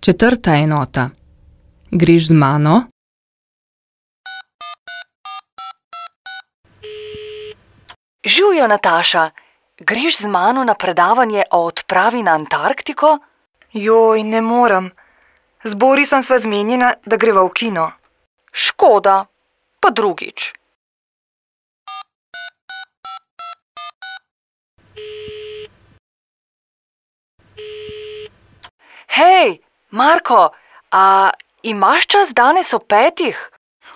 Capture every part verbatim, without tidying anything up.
Četrta enota. Greš z mano? Živjo, Nataša. Greš z mano na predavanje o odpravi na Antarktiko? Joj, ne morem. Z Borisom sva zmenjena, da greva v kino. Škoda, pa drugič. Hej, Marko, a imaš čas danes ob petih?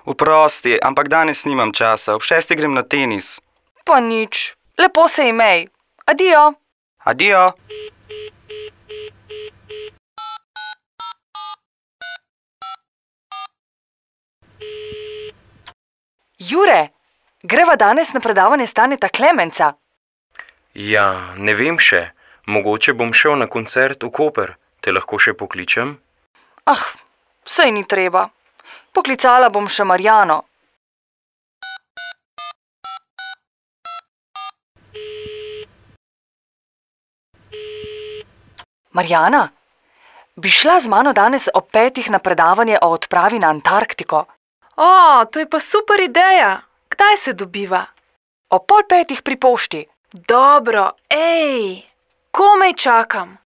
Oprosti, ampak danes nimam časa, ob šestih grem na tenis. Pa nič, lepo se imej. Adijo. Adijo. Jure, greva danes na predavanje Staneta Klemenca. Ja, ne vem še. Mogoče bom šel na koncert v Koper. Te lahko še pokličem? Ah, saj ni treba. Poklicala bom še Marjano. Marjana, bi šla z mano danes ob petih na predavanje o odpravi na Antarktiko? O, to je pa super ideja. Kdaj se dobiva? Ob pol petih pri pošti. Dobro, ej, komaj čakam.